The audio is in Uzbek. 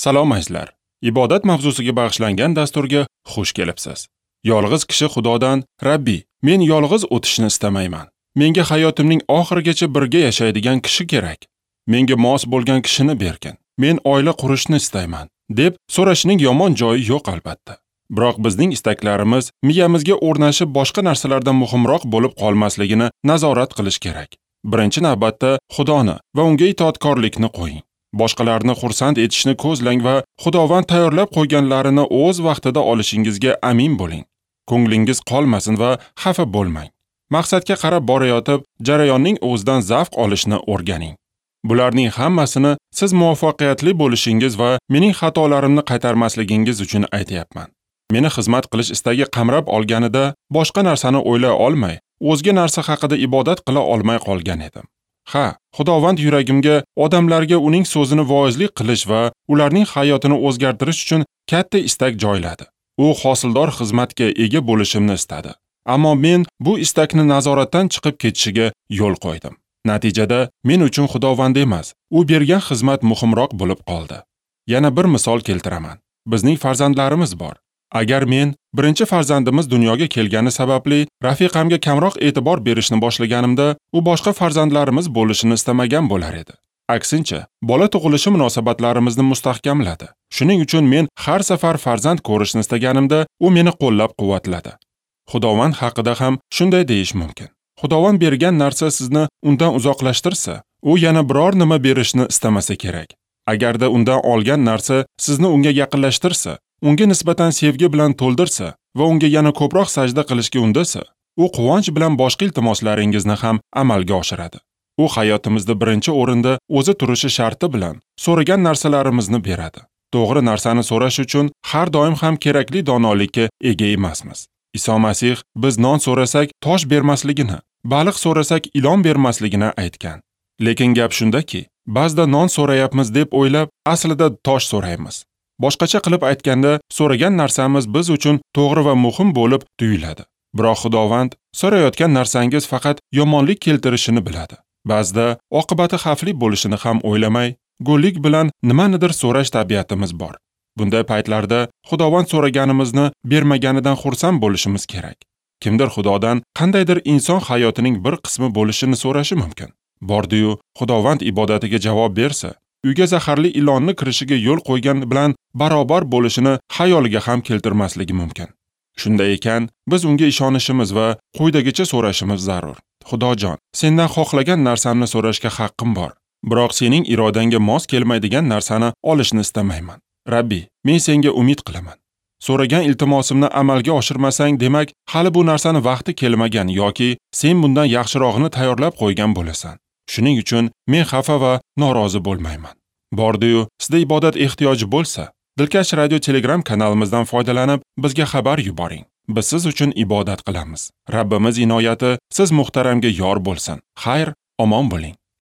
Salom azizlar. Ibodat mavzusiga bag'ishlangan dasturga xush kelibsiz. Yolg'iz kishi Xudodan: "Rabbi, men yolg'iz o'tishni istamayman. Menga hayotimning oxirigacha birga yashaydigan kishi kerak. Menga mos bo'lgan kishini bergin. Men oila qurishni istayman", deb so'rashining yomon joyi yo'q albatta. Biroq bizning istaklarimiz miyamizga o'rnashib boshqa narsalardan muhimroq bo'lib qolmasligini nazorat qilish kerak. Birinchi navbatda Xudoni va unga itoatkorlikni qo'ying. Boshqalarni xursand etishni ko'zlang va Xudovand tayyorlab qo'yganlarini o'z vaqtida olishingizga amin bo'ling. Ko'nglingiz qolmasin va xafa bo'lmang. Maqsadga qarab borayotib, jarayonning o'zidan zavq olishni o'rganing. Bularning hammasini siz muvaffaqiyatli bo'lishingiz va mening xatolarimni qaytarmasligingiz uchun aytayapman. Meni xizmat qilish istagi qamrab olganida boshqa narsani o'ylay olmay, o'zga narsa haqida ibodat qila olmay qolgan edim. Ha, Xudovand yuragimga odamlarga uning so'zini voizlik qilish va ularning hayotini o'zgartirish uchun katta istak joyladi. U hosildor xizmatga ega bo'lishimni istadi. Ammo men bu istakni nazoratdan chiqib ketishiga yo'l qo'ydim. Natijada men uchun Xudovand emas, u bergan xizmat muhimroq bo'lib qoldi. Yana bir misol keltiraman. Bizning farzandlarimiz bor. Agar men birinchi farzandimiz dunyoga kelgani sababli rafiqamga kamroq e'tibor berishni boshlaganimda, u boshqa farzandlarimiz bo'lishini istamagan bo'lar edi. Aksincha, bola tug'ilishi munosabatlarimizni mustahkamladi. Shuning uchun men har safar farzand ko'rishni istaganimda, u meni qo'llab-quvvatladi. Xudovand haqida ham shunday deyish mumkin. Xudovand bergan narsa sizni undan uzoqlashtirsa, u yana biror nima berishni istamasa kerak. Agarda undan olgan narsa sizni unga yaqinlashtirsa, unga nisbatan sevgi bilan to'ldirsa va unga yana ko'proq sajda qilishga undasa, u quvonch bilan boshqa iltimoslaringizni ham amalga oshiradi. U hayotimizda birinchi o'rinda o'zi turishi sharti bilan so'ragan narsalarimizni beradi. To'g'ri narsani so'rash uchun har doim ham kerakli donolikka ega emasmiz. Iso Masih biz non so'rasak tosh bermasligini, baliq so'rasak ilon bermasligini aytgan. Lekin gap shundaki, ba'zida non so'rayapmiz deb o'ylab, aslida tosh so'raymiz. Boshqacha qilib aytganda, so'ragan narsamiz biz uchun to'g'ri va muhim bo'lib tuyuladi. Biroq Xudovand so'rayotgan narsangiz faqat yomonlik keltirishini biladi. Ba'zida oqibati xavfli bo'lishini ham o'ylamay, go'llik bilan nimanidir so'rash tabiatimiz bor. Bunday paytlarda Xudovand so'raganimizni bermaganidan xursand bo'lishimiz kerak. Kimdir Xudodan qandaydir inson hayotining bir qismi bo'lishini so'rashi mumkin. Bordi-yu, Xudovand ibodatiga javob bersa, uyga zaharli ilonni kirishiga yo'l qo'ygan bilan barobar bo'lishini xayoliga ham keltirmasligi mumkin. Shunday ekan, biz unga ishonishimiz va quyidagicha so'rashimiz zarur. Xudojon, sendan xohlagan narsamni so'rashga haqqim bor. Biroq sening irodangga mos kelmaydigan narsani olishni istamayman. Rabbi, men senga umid qilaman. So'ragan iltimosimni amalga oshirmasang, demak, hali bu narsani vaqti kelmagan yoki sen bundan yaxshirog'ini tayyorlab qo'ygan bo'lasan. Shuning uchun men xafa va norozi bo'lmayman. Bordi-yu, sizda ibodat ehtiyoji bo'lsa, Dilkash radio Telegram kanalimizdan foydalanib, bizga xabar yuboring. Biz siz uchun ibodat qilamiz. Rabbimiz inoyati siz muhtaramga yor bo'lsin. Xayr, omon bo'ling.